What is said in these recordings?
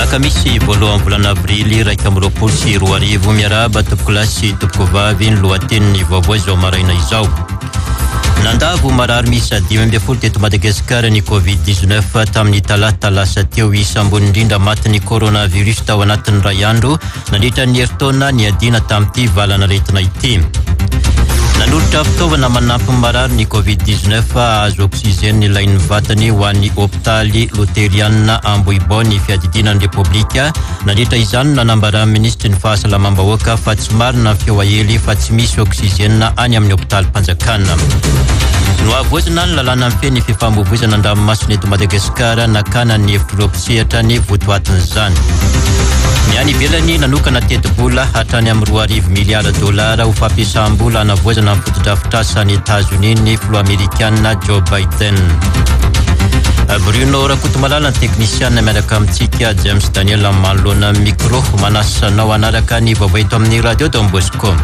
Alakamisy voalohan'ny volana avrily 2021. Miarahaba tompokolahy sy tompokovavy, ny lohatenin'ny vaovao izao maraina izao. Nandavo marary miisa 15 teto Madagasikara ny Covid-19 tamin'ny talata lasa teo. Isa ambony indrindra matin'ny coronavirus tao anatin'ny iray andro nandritra ny herintaona niadiana tamin'ity valanaretina ity. Nanolotra fitaovana manampy ny marary ny Covid 19 hahazo oxygène ilain'ny vatany ho an'ny hopitaly Loterianina Ambohibao ny fiadidiana ny Repoblika. Nandritra izany no nanambaran'ny minisitry ny fahasalamam-bahoaka fa tsy marina ny feo aely fa tsy misy oxygène any amin'ny hopitalim-panjakana. Nohavaozina ny lalàna mifehy ny fifamoivoizana an-dranomasina eto Madagasikara, nakana ny hevitr'ireo mpisehatra ny votoatin'izany. Ny any ivelany, nanokana tetibola hatrany amin'ny 2000 miliara dolara ho fampiasam-bola hanavaozana ny fotodrafitrasa any Etazonia ny filoha amerikana Joe Biden. Bruno Rakotomalala ny teknisiana miaraka amintsika James Daniel manoloana ny micro. Manasa anao hanaraka ny vaovao eto amin'ny Radio Don Bosco.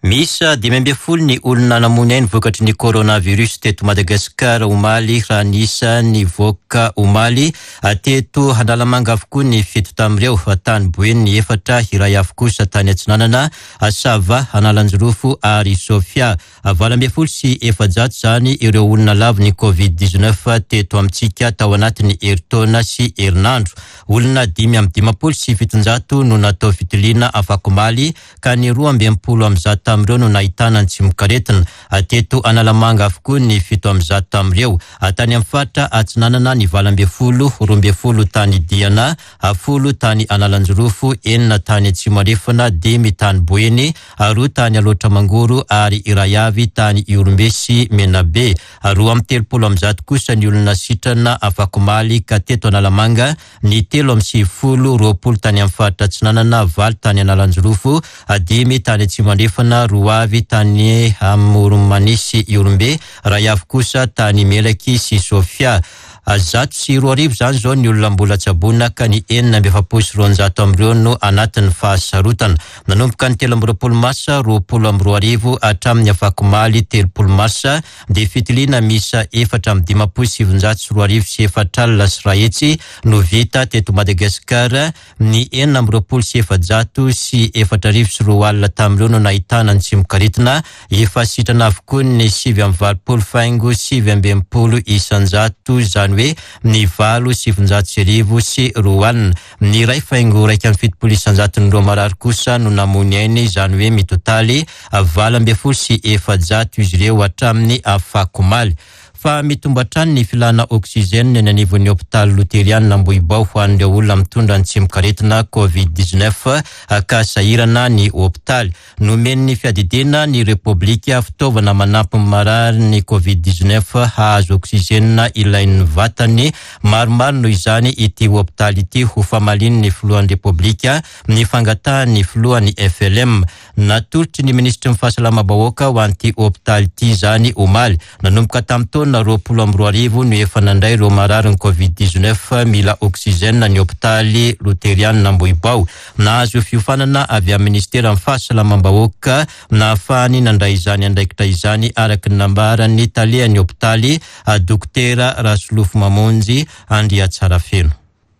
Miisa 15 ny olona namoy ainy vokatry ny coronavirus teto Madagasikara omaly raha ny isa nivoaka omaly. Teto Analamanga avokoa ny fito tamin'ireo, tany Boeny ny efatra, iray avy kosa tany Atsinanana, Sava, Analanjirofo ary Sofia. 418 izany ireo olona lavon'ny Covid 19 teto amintsika tao anatin'ny herintaona sy herinandro. Olona 755 no natao fitiliana afakomaly ka ny 162 tamin'ireo no nahitana ny tsimokaretina. Teto Analamanga avokoa ny 107 tamin'ireo. Tany amin'ny faritra Atsinanana ny 18, 12 tany Diana, 10 tany Analanjirofo, enina tany Atsimo Andrefana, dimy tany Boeny, roa tany Alaotra Mangoro ary iray avy tany Ihorombe sy Menabe. 132 kosa ny olona sitrana afakomaly ka teto Analamanga ny 93, 20 tany amin'ny faritra Atsinanana, valo tany Analanjirofo, dimy tany Atsimo Andrefana, roa avy tany Amoron'i sy Ihorombe, iray avy kosa tany Melaky sy Sofia. 2100 izany izao ny olona mbola tsaboina ka ny 246 amin'ireo no anatin'ny fahasarotana. Nanomboka ny 23 marsa 2020 hatramin'ny afakomaly 30 marsa dia fitiliana miisa 154 104 no vita teto Madagasikara, ny 426 204 tamin'ireo no nahitana ny tsimokaretina, efa sitrana avokoa ny 89.69%, izany hoe ny 108 902. Ny 1.71 isan-jaton'ireo marary kosa no namoy ny ainy, izany hoe mitotaly 418 izy ireo hatramin'ny afakomaly. Fa mitombo hatrany ny filana oxygène eny anivon'ny hopitaly Loterianina Ambohibao ho an'ireo olona mitondra ny tsimokaretina Covid 19 ka sahirana ny hopitaly. Nomen'ny fiadidiana ny Repoblika fitaovana manampy ny marary ny Covid 19 hahazo oxygène ilain'ny vatany maromaro noho izany ity hopitaly ity ho famalian'ny filohan'ny Repoblika ny fangatahan'ny filohan'ny FLM. Natolotry ny minisitry ny fahasalamam-bahoaka ho an'ity hopitaly ity izany omaly. Nanomboka tamin'ny taona 2020 no efa nandray ireo mararin'ny Covid 19 mila oxygène ny hopitaly Loterianina Ambohibao. Nahazo fiofanana avy amin'ny minisiteran'ny fahasalamam-bahoaka nahafahany nandray izany andraikitra izany araka ny nambaran'ny talehan'ny hopitaly Dokotera Rasolofo Mamonjy Andriatsarafeno.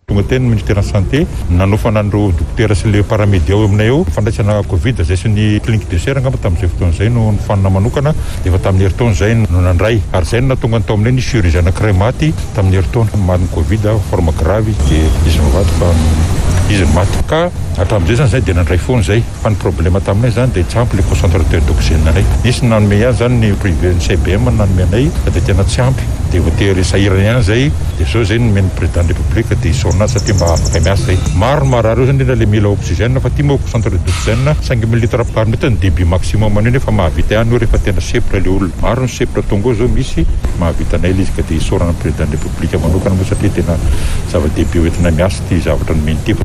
Tonga teny ny Ministeran'ny Santé, nanofana an'ireo dokotera sy ilay paramedia ao aminay ao, fandraisana Covid izay sy ny clinique de serre angamba tamin'izay fotoana izay no nofanina manokana, dia efa tamin'ny herintaona izay no nandray. Ary izay no nahatonga ny tao aminay nisy chirurgien anankiray maty tamin'ny herintaona, matin'ny Covid, forme grave izy, dia izy mivady fa izy no maty. Ka hatramin'izay izany izahay dia nandray foana izay. Fa ny problème taminay zany dia tsy ampy le concentrateur d'oxygène anay. Nisy ny nanome ihany zany ny privé ny CBM no nanome anay fa dia tena tsy ampy dia voatery sahirana ihany zay dia zao zay nomen'ny président de république dia isaorana azy satria mba afaka miasa zay. Maro ny marary eo zany indrindra le mila oxygène fa ty moa concentrateur d'oxygène cinq mille litres par minute ny débit maximum an'io nefa mahavita ihany io rehefa tena sempotra le olona. Maro ny sempotra tonga eo zao misy mahavita anay le izy ka dia isaorana ny président de république manokana moa satria tena zava-dehibe ho entina miasa ity zavatra nomeny ity.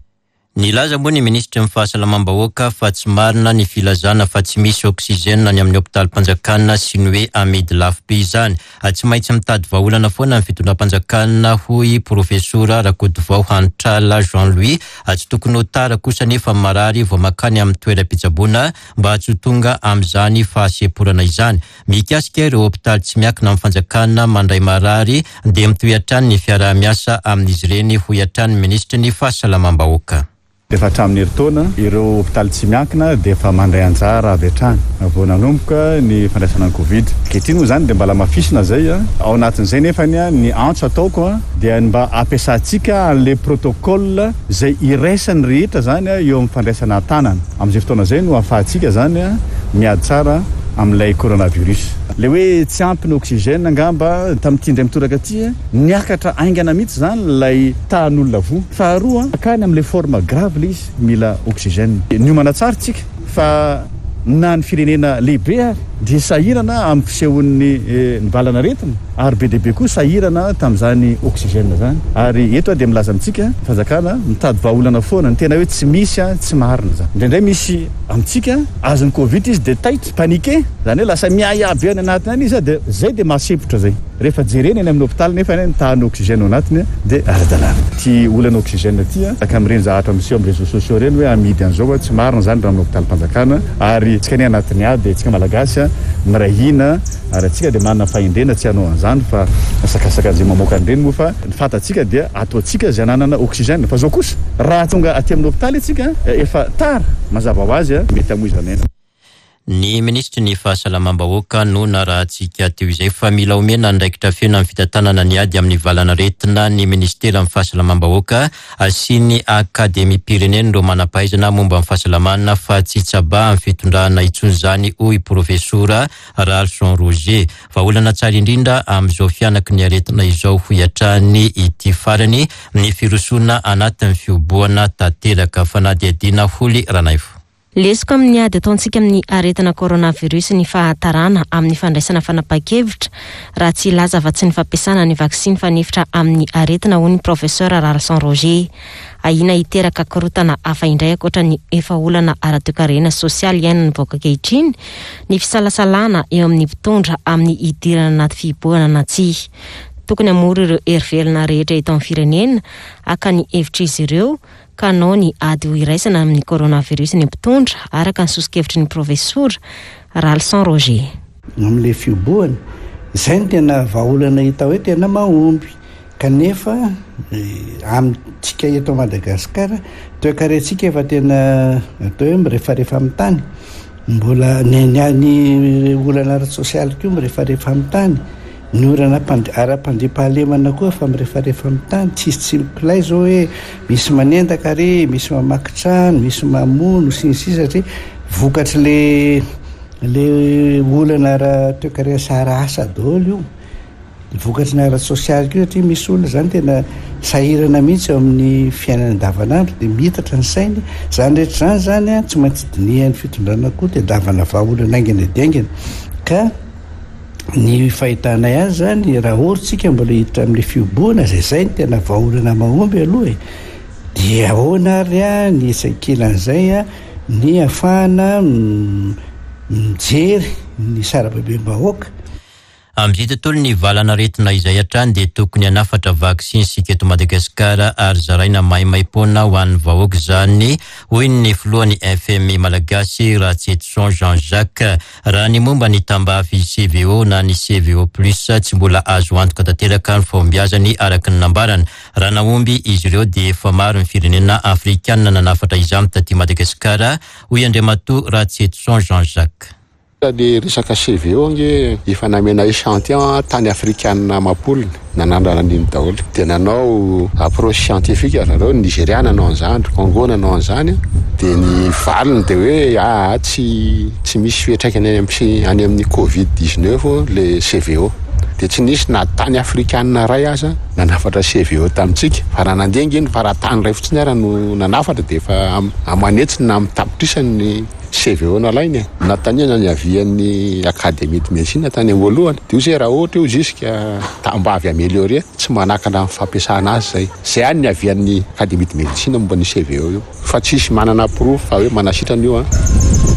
Nilaza moa ny minisitry ny Fahasalamam-bahoaka fa tsy marina ny filazana fa tsy misy oxygène any amin'ny hopitalim-panjakana sy ny hoe amidy lafo be izany. Tsy maintsy mitady vahaolana foana ny fitondram-panjakana hoy Profesora Rakotovao Hanitrala Jean Louis. Tsy tokony ho tara kosa anefa ny marary vao mankany amin'ny toeram-pitsaboana mba tsy ho tonga amin'izany fahasemporana izany. Mikasika ireo hopitaly tsy miankina amin'ny fanjakana mandray marary dia mitohy hatrany ny fiaraha-miasa amin'izy ireny, hoy hatrany ny minisitry ny Fahasalamam-bahoaka. Efa hatramin'ny herintaona, ireo hopitaly tsy miankina dia efa mandray anjara avy hatrany vao nanomboka ny fandraisana ny Covid. Ankehitriny moa izany dia mbola hamafisina izay. Ao anatin'izay nefa ny antso ataoko dia ny mba hampiasantsika an'ilay protocole izay iraisan'ny rehetra izany eo amin'ny fandraisana an-tanana. Amin'izay fotoana izay no ahafahantsika izany miady tsara amin'ilay coronavirus. Ilay hoe tsy ampy ny oxygène angamba tamin'ity indray mitoraka ity, niakatra haingana mihitsy izany ilay tahan'olona voa. Faharoa, mankany amin'ilay forme grave ilay izy, mila oxygène. Niomana tsara isika fa na ny firenena lehibe ary dia sahirana amin'ny fisehon'ny ny valan'aretina ary be dia be koa sahirana tamin'izany oxygène izany. Ary eto aho dia milaza amintsika, ny fanjakana mitady vahaolana foana, ny tena hoe tsy misy tsy marina izany. Indraindray misy amintsika azon'ny covid izy dia taitra, paniqué, izany hoe lasa miahiahy be any anatiny any izy dia izay dia mahasempotra izay. Rehefa jerena eny amin'ny hopitaly nefa ny tahan'ny oxygène ao anatiny dia ara-dalàna. Ity olana oxygène ity tahaka amin'ireny zavatra miseho amin'ny réseaux sociaux ireny hoe amidy an'izao, tsy marina izany raha amin'ny hopitalim-panjakana ary tsika anie anatin'ny ady, tsika Malagasy miray hina ary antsika dia manana fahendrena tsy hanao an'izany fa asakasaka an'izay mamoaka an'ireny moa fa ny fantatsika dia ataontsika izay hananana oxygène fa izao kosa raha tonga aty amin'ny hopitaly antsika efa tara mazava ho azy mety hamoizana aina. Ny minisitry ny Fahasalamam-bahoaka no narahantsika teo izay fa mila omena andraikitra feno amin'ny fitantanana ny ady amin'ny valan'aretina ny minisiteran'ny Fahasalamam-bahoaka sy ny Akademiam-pirenen'ireo manam-pahaizana momba ny fahasalamana fa tsy tsabahan'ny fitondrana intsony izany hoy Profesora Ralson Roger. Vahaolana tsara indrindra amin'izao fihanaky ny aretina izao hoy hatrany ity farany ny firosoana anatin'ny fihobohana tanteraka. Fanadihadiana Holy Ranaivo. Lesoka amin'ny ady ataontsika amin'ny aretina coronavirus ny fahatarana amin'ny fandraisana fanapahan-kevitra, raha tsy hilaza afa-tsy ny fampiasana ny vaksiny fanefitra amin'ny aretina, hoy ny Professeur Ralison Roger. Ahiana hiteraka korontana hafa indray ankoatra ny efa olana ara-toekarena sy sosialy iainan'ny vahoaka ankehitriny ny fisalasalana eo amin'ny mpitondra amin'ny hidirana anaty fihibohana na tsia. Tokony hamory ireo hery velona rehetra eto amin'ny firenena haka ny hevitr'izy ireo ka hanao ny ady ho iraisana amin'ny coronavirus ny mpitondra, araka ny soso-kevitry ny Profesora Ralison Roger. Amin'ilay fihobohana, izay no tena vahaolana hita hoe tena mahomby. Kanefa amintsika eto Madagasikara, toekarentsika efa tena atao hoe mirefarefa amin'ny tany. Mbola ny ny olana ara-tsosialy koa mirefarefa amin'ny tany. Ny orana ara-pandriampahalemana koa efa mirefarefa amin'ny tany, tsisy tsy mipilay zao hoe misy manendaka ary, misy mamaky trano, misy mamono sy ny sisa satria vokatry le le olana ara-toekarena sy ara-asa daholo io. Vokatry ny ara-tsosialy koa satria misy olona zany tena sahirana mihitsy eo amin'ny fiainany andavanandro dia miitatra ny sainy. Izany rehetra izany zany an, tsy maintsy dinihan'ny fitondrana koa, tadiavana vahaolana haingana dia haingana ka Ny fahitanay azy zany raha ohatra tsika mbola hiditra amin'le fihobohana zay zay no tena vahaolana mahomby aloha e, dia ahoana ary a ny etsy ankilan'izay a ny ahafahana mijery ny sarababem-bahoaka. Amin'izay tontolon'ny valan'aretina izay hatrany dia tokony hanafatra vaksiny isika eto Madagasikara ary zaraina maimaimpoana ho an'ny vahoaka izany, hoy ny filohan'ny FMI Malagasy, Ratsietison Jean Jacques. Raha ny momba ny tambavy CVO na ny CVO plus, tsy mbola azo antoka tanteraka ny fahombiazany araka ny nambarany. Raha nahomby izy ireo dia efa maro ny firenena afrikanina nanafatra izany taty Madagasikara, hoy Andriamatoa Ratsietison Jean Jacques. Le resaka CVO ange efa namena echantillon tany afrikanina amam-polony nanandrana an'iny daholo. Dia nanao approche scientifique ry zareo, ny Nigeria nanao an'izany, ry Congo nanao an'izany, dia ny valiny dia hoe aa tsy tsy misy fiantraikany any amin'ny any amin'ny covid 19 le CVO. Dia tsy nisy na tany afrikanina iray aza nanafatra CVO tamintsika. Fa raha nandeha ange ny fa raha tany iray fotsiny ara no nanafatra dia efa aman'hetsiny na amin'ny tapitrisany ny. CVO nalainy e. Nanontaniana ny avian'ny Académie de médecine tany am-boalohany. Dia hoy izy hoe raha ohatra io jusque mba avy améliorer, tsy manakana amin'ny fampiasana azy izay. Izay ihany ny avian'ny Académie de médecine momba an'io CVO io. Fa tsisy manana porofo fa hoe manasitrana io an.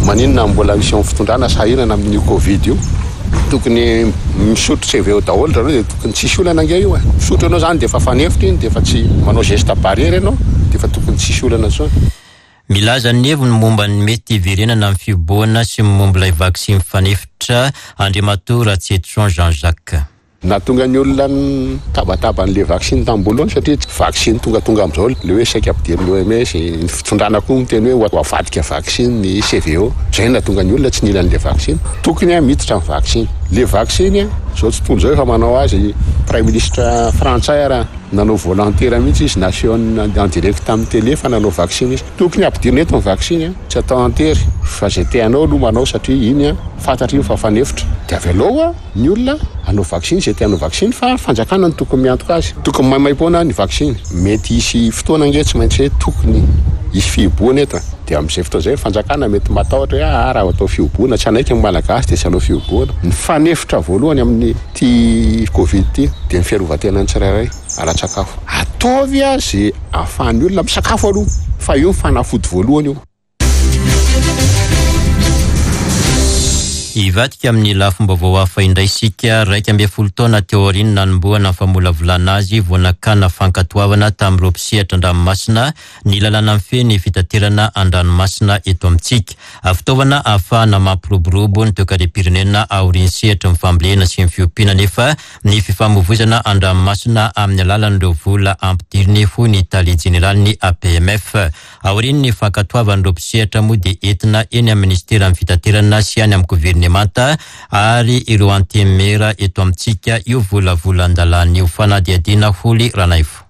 Maninona mbola misy eo amin'ny fitondrana sahirana amin'io covid io. Tokony misotro CVO daholo zareo dia tokony tsisy olana ange io e. Misotro ianao izany dia efa fanefitra iny dia efa tsy manao geste barrière ianao dia efa tokony tsisy olana intsony. Milaza ny heviny momba ny mety hiverenana amin'ny fihobohana sy ny momba ilay vaksiny fanefitra Andriamatoa Ratsietison Jean Jacques. Nahatonga ny olona nitabataba an'ilay vaksiny tamin'ny voalohany satria tsy vaksiny tongatonga amin'izao ilay hoe saika ampidirin'ny OMS, ny fitondrana koa miteny hoe ho avadika vaksiny ny CVO. Izay no nahatonga ny olona tsy nila an'ilay vaksiny. Tokony miditra ny vaksiny. Ilay vaksiny, izao tontolo izao efa manao azy, Praiminisitra frantsay ara nanao volontaire mihitsy izy nasehony en direct tamin'ny télé fa nanao vaksiny izy. Tokony ampidirina eto ny vaksiny, tsy atao an-tery fa izay te hanao aloha manao satria iny fantatra iny fa fanefitra dia avelao. Ny olona hanao vaksiny izay te hanao vaksiny fa fanjakana no tokony miantoka azy. Tokony maimaimpoana ny vaksiny. Mety hisy fotoana ange tsy maintsy hoe tokony hisy fihibohana eto e. Dia amin'izay fotoana izay ny fanjakana mety matahotra hoe aa raha atao fihibohana tsy hanaiky ny Malagasy dia tsy hanao fihibohana. Ny fanefitra voalohany amin'ity covid ity dia ny fiarovan-tenan'ny tsirairay ara-tsakafo. Ataovy izay ahafahan'ny olona misakafo aloha fa io ny fanafody voalohany io. Hivadika amin'ny lafim-baovao hafa indray isika. 11 taona teo aorian'ny nanombohana ny famolavolana azy vao nakana fankatoavana tamin'ireo mpisehatra an-dranomasina ny lalàna mifehy ny fitaterana an-dranomasina eto amintsika. Fitaovana ahafahana mampiroborobo ny toekarem-pirenena aorian'ny sehatry ny fambolena sy ny fiompiana anefa ny fifamoivoizana an-dranomasina amin'ny alalan'ireo vola ampidiriny, hoy ny tale jeneralin'ny APMF. Aorian'ny fankatoavan'ireo mpisehatra moa dia entina eny amin'ny minisiteran'ny fitaterana sy any amin'ny governemanta ary ireo antenimiera eto amintsika io volavolan-dalàna io. Fanadihadiana Holy Ranaivo.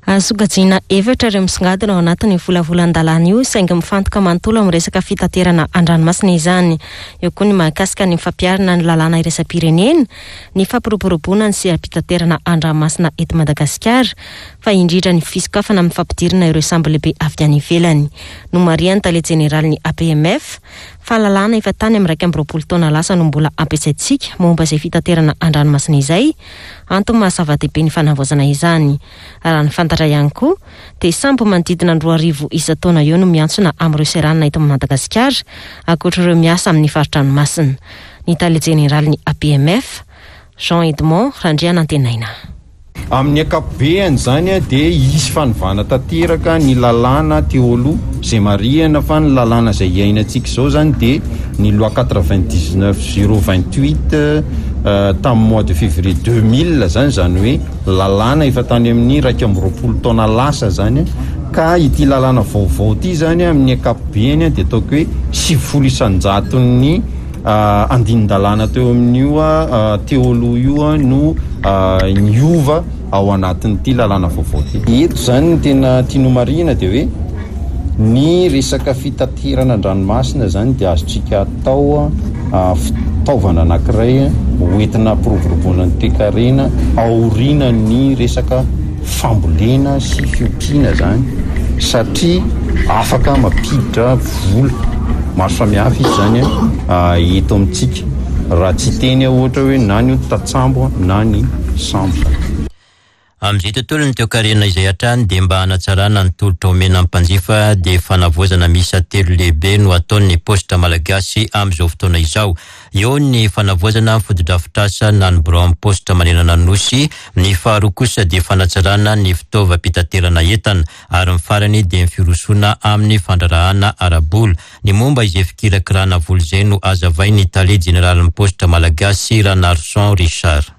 Azo sokajiana efatra ireo misongadina ao anatin'io volavolan-dalàna io saingy mifantoka manontolo amin'ny resaka fitaterana an-dranomasina izany. Eo koa ny mahakasika ny fampiharana ny lalàna iraisam-pirenena, ny fampiroboroboana ny seha-pitaterana an-dranomasina eto Madagasikara, fa indrindra ny fisokafana amin'ny fampidirana ireo sambo lehibe avy any ivelany. Nomarihan'ny tale jeneralin'ny APMF fa lalàna efa tany amin'ny 21 taona lasa no mbola ampiasaintsika momba izay fitaterana an-dranomasina izay, antony maha zava-dehibe ny fanavaozana izany. Raha ny fantatra ihany koa dia sambo manodidina ny 2000 isan-taona eo no miantsona amin'ireo seranana eto Madagasikara, ankoatra ireo miasa amin'ny fari-dranomasina. Ny tale jeneralin'ny APMF, Jean Edmond Randrianantenaina. Amin'ny ankapobeany izany dia hisy fanovana tanteraka ny lalàna teo aloha, izay marihana fa ny lalàna izay iainantsika izao izany dia ny loi 99 028 tamin'ny mois de février 2000 izany, izany hoe lalàna efa tany amin'ny 21 taona lasa izany, ka ity lalàna vaovao ity izany amin'ny ankapobeany dia ataoko hoe 90 isan-jaton'ny Andinin-dalàna teo amin'io teo aloha io no niova ao anatin'ity lalàna vaovao ity. Eto izany ny tena tiany homarihina dia hoe ny resaka fitaterana an-dranomasina izany dia azontsika atao fitaovana anankiray hoentina hampiroboroboana ny toekarena aorianan'ny resaka fambolena sy fiompiana izany satria afaka mampiditra vola maro samihafa izy izany eto amintsika raha tsy hiteny aho ohatra hoe na ny tatsambo na ny sambo izany. Amin'izay tontolon'ny toekarena izay hatrany dia mba hanatsarana ny tolotra omena ny mpanjifa dia fanavaozana miisa telo lehibe no ataon'ny Paositra Malagasy amin'izao fotoana izao. Eo ny fanavaozana ny fotodrafitrasa na ny biraon'ny paositra manerana ny Nosy, ny faharoa kosa dia fanatsarana ny fitaovam-pitaterana entana, ary ny farany dia ny firosoana amin'ny fandraharahana ara-bola. Ny momba izay fikirakirana vola izay no hazavain'ny tale jeneralin'ny paositra malagasy, Ranarison Richard.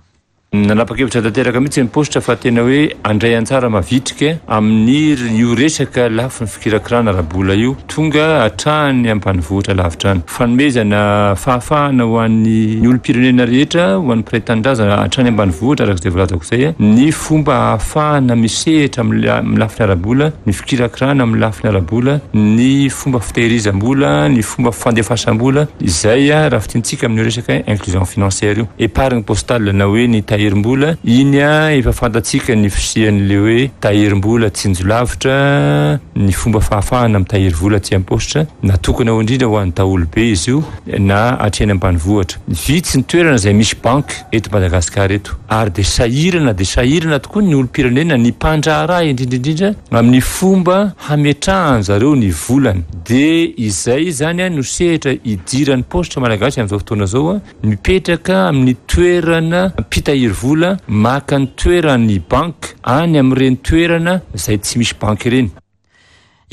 Nanapa-kevitra tanteraka mihitsy ny paositra fa tena hoe handray anjara mavitrika amin'ny io resaka lafiny fikirakirana ara-bola io, tonga hatrany ambanivohitra lavitra any. Fanomezana fahafahana ho an'ny olom-pirenena rehetra, ho an'ny mpiray tanindrazana hatrany ambanivohitra araka izay voalazako izay, ny fomba ahafahana misehatra amin'ny lafiny ara-bola, ny fikirakirana amin'ny lafiny ara-bola, ny fomba fitehirizam-bola, ny fomba fandefasam-bola, izay raha fintintsika amin'io resaka inclusion financière io. Épargne postale na hoe ny tahiry. tahirim-bola, iny efa fantatsika ny fisian'ilay hoe tahirim-bola tsinjo lavitra, ny fomba fahafahana mitahiry vola aty am-paositra, natokana ho indrindra ho an'ny daholobe izy io na hatreny ambanivohitra. Vitsy ny toerana izay misy banky eto Madagasikara eto ary dia sahirana dia sahirana tokoa ny olom-pirenena, ny mpandraharaha indrindra indrindra amin'ny fomba hametrahan zareo ny volany. Dia izay izany no sehatra idiran'ny paositra malagasy amin'izao fotoana izao, mipetraka amin'ny toerana mpitahiry vola maka ny toeran'ny banky any amin'ireny toerana izay tsy misy banky ireny.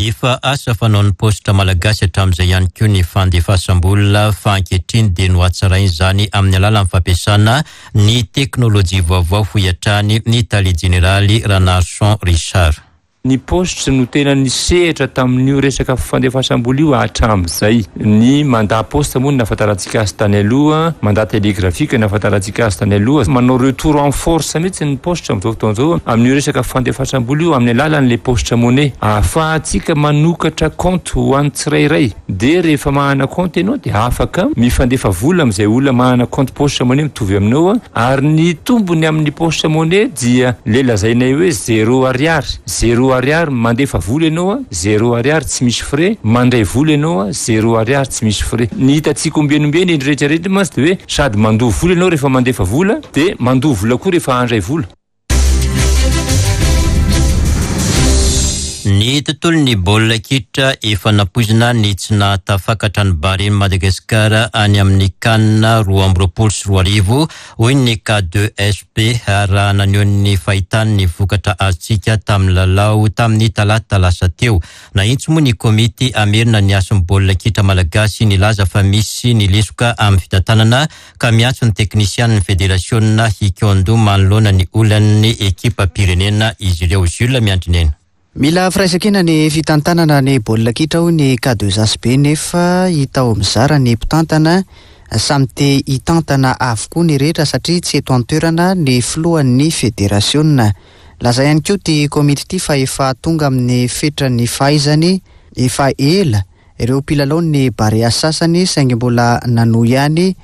Efa asa fanaon'ny paositra malagasy hatramin'izay ihany koa ny fandefasam-bola fa ankehitriny dia nohatsaraina izany amin'ny alalan'ny fampiasana ny teknolojia vaovao hoy hatrany ny tale jeneraly Ranarison Richard. Ny paositra no tena nisehatra tamin'io resaka fandefasam-bola io hatramin'izay. Ny mandat poste moa no nahafantarantsika azy tany aloha, mandat télégraphique no nahafantarantsika azy tany aloha. Manao retour en force mihitsy ny paositra amin'izao fotoana izao amin'io resaka fandefasam-bola io amin'ny alalan'ilay paositra money. Ahafahantsika manokatra kaonty ho an'ny tsirairay. Dia rehefa manana kaonty ianao dia afaka mifandefa vola amin'izay olona manana kaonty paositra money mitovy aminao. Ary ny tombony amin'ny poste money dia le lazainay hoe zéro ariary, zéro ariary mandefa vola ianao a, zéro ariary tsy misy frais, mandray vola ianao a, zéro ariary tsy misy frais. Ny hitantsika ombieny ombieny eny rehetra rehetra mantsy dia hoe sady mandoa vola ianao rehefa mandefa vola dia mandoa vola koa rehefa handray vola. Ny tontolon'ny baolina kitra efa nampoizina ny tsy nahatafakatra ny Barea Madagasikara any amin'ny Can 2022, hoy ny K2SP raha naneho ny fahitany ny vokatra azontsika tamin'ny lalao tamin'ny talata lasa teo. Nahitsy moa ny komity hamerina ny hasin'ny baolina kitra malagasy nilaza fa misy ny lesoka amin'ny fitantanana ka miantso ny teknisianin'ny federasiona hikaon-doha manoloana ny olan'ny ekipam-pirenena izy ireo. Jules Miandrinena. Mila firaisankina ny fitantanana ny baolina kitra hoy ny K2HB nefa hita ho mizara ny mpitantana. Samy te hitantana avokoa ny rehetra satria tsy eto an-toerana ny filohan'ny federasiona. Laza ihany koa ity komity ity fa efa tonga amin'ny fetran'ny fahaizany efa ela Ireo mpilalaon'ny Barea sasany saingy mbola nanohy ihany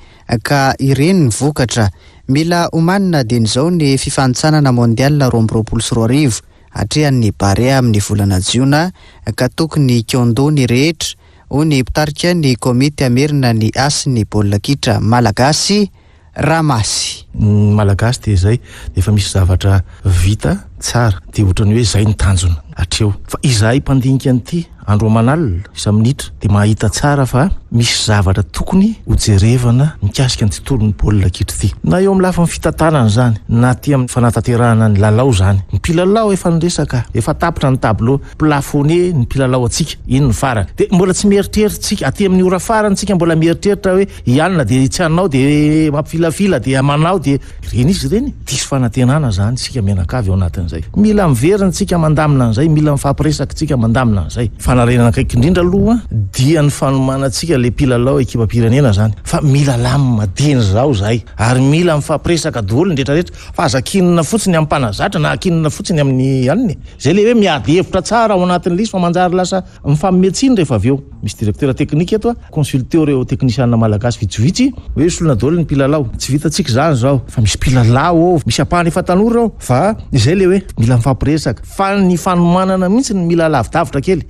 ka ireny ny vokatra. Mila omanina dieny izao ny fifanintsanana Mondial 2022 atrehan'ny Barea amin'ny volana jiona ka tokony hikaon-doha ny rehetra, hoy ny mpitarika ny komity hamerina ny hasin'ny baolina kitra malagasy, Ramasy. Ny Malagasy dia izay, efa misy zavatra vita tsara dia ohatran'ny hoe izay no tanjona hatreo. Fa izahay mpandinika an'ity andro aman'alina, isa-minitra dia mahita tsara fa misy zavatra tokony ho jerevana mikasika ny tontolon'ny baolina kitra ity. Na eo amin'ny lafiny fitantanana izany, na aty amin'ny fanatanterahana ny lalao izany. Ny mpilalao efa niresaka, efa tapitra ny tableau, plafonner ny mpilalao antsika, iny ny farany. Dia mbola tsy mieritreritra isika, aty amin'ny ora farany isika mbola mieritreritra hoe I anona dia tsy hanao dia mampifilafila dia manao dia ireny izy ireny. Diso fanantenana izany isika mianakavy ao anatin'izay. Mila miverina isika mandamina an'izay, mila mifampiresaka isika mandamina an'izay. Fanarenana akaiky indrindra aloha dia ny fanomanantsika ilay mpilalao ekipam-pirenena izany fa mila lamina dieny izao izahay ary mila mifampiresaka daholo ny rehetra rehetra fa aza akinina fotsiny amin'ny mpanazatra na akinina fotsiny amin'ny anona e. Izay ilay hoe miady hevitra tsara ao anatin'ilay izy fa manjary lasa mifanome tsiny rehefa avy eo. Misy directeur technique eto a, consulteo ireo teknisianina malagasy vitsivitsy hoe solona daholo ny mpilalao. Tsy vitantsika izany izao fa misy mpilalao ao, misy ampahany efa tanora ao fa izay ilay hoe mila mifampiresaka fa ny fanomanana mihitsy no mila lavidavitra kely.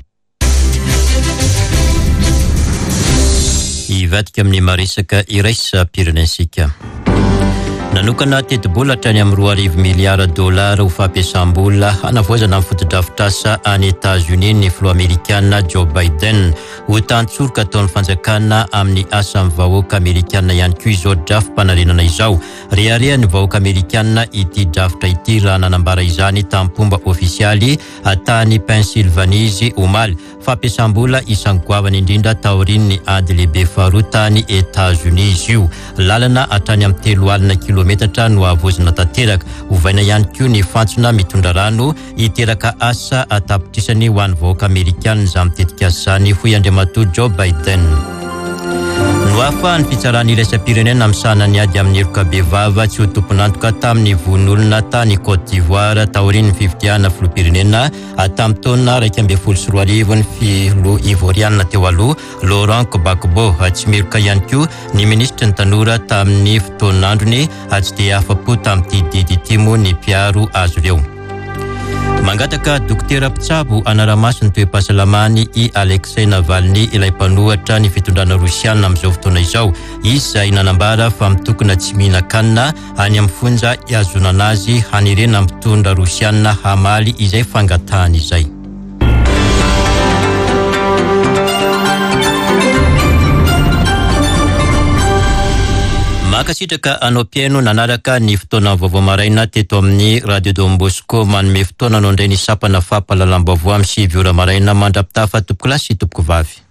Hivadika amin'ny maresaka iraisam-pirenentsika. Nanokana tetibola hatrany amin'ny 2000 miliara dolara ho fampiasam-bola hanavaozana ny fotodrafitrasa any Etazonia ny filoha amerikana Joe Biden. Ho tantsoroka ataon'ny fanjakana amin'ny asan'ny vahoaka amerikana ihany koa izao drafi-panarenana izao. Reharehan'ny vahoaka amerikana ity drafitra ity raha nanambara izany tamim-pomba ofisialy tany Pennsylvanie izy omaly. Fampiasam-bola isan'ny goavana indrindra taorian'ny ady lehibe faharoa tany Etazonia izy io. Lalana hatrany amin'ny 30 kilometatra no havaozina tanteraka. Hovaina ihany koa ny fantsona mitondra rano. Hiteraka asa an-tapitrisany ho an'ny vahoaka amerikana izany tetikasa izany, hoy Andriamatoa Joe Biden. Noafahan'ny fitsarana iraisam-pirenena misahana ny ady amin'ny heloka bevava tsy ho tompon'antoka tamin'ny vono olona tany Côte d'Ivoire taorian'ny fifidianana filoham-pirenena tamin'ny taona 2011 ny filoha ivorianina teo aloha Laurent Gbagbo. Tsy meloka ihany koa ny minisitry ny tanora tamin'ny fotoan'androny. Tsy dia afa-po tamin'ity didy ity moa ny mpiaro azy ireo. Mangataka dokotera mpitsabo hanara-maso ny toe-pahasalamany i Alexei Navalny, ilay mpanohatra ny fitondrana rosiana amin'izao fotoana izao. Izy izay nanambara fa mitokona tsy mihinan-kanina any amin'ny fonja ihazonana azy hanerena ny mpitondra rosiana hamaly izay fangatahany izay. Mankasitraka anao mpihaino nanaraka ny fotoana vaovao maraina teto amin'ny Radio Don Bosco. Manome fotoana anao indray ny sampana fampahalalam-baovao amin'ny 9 ora maraina mandra-pitafa tompokolahy sy tompokovavy.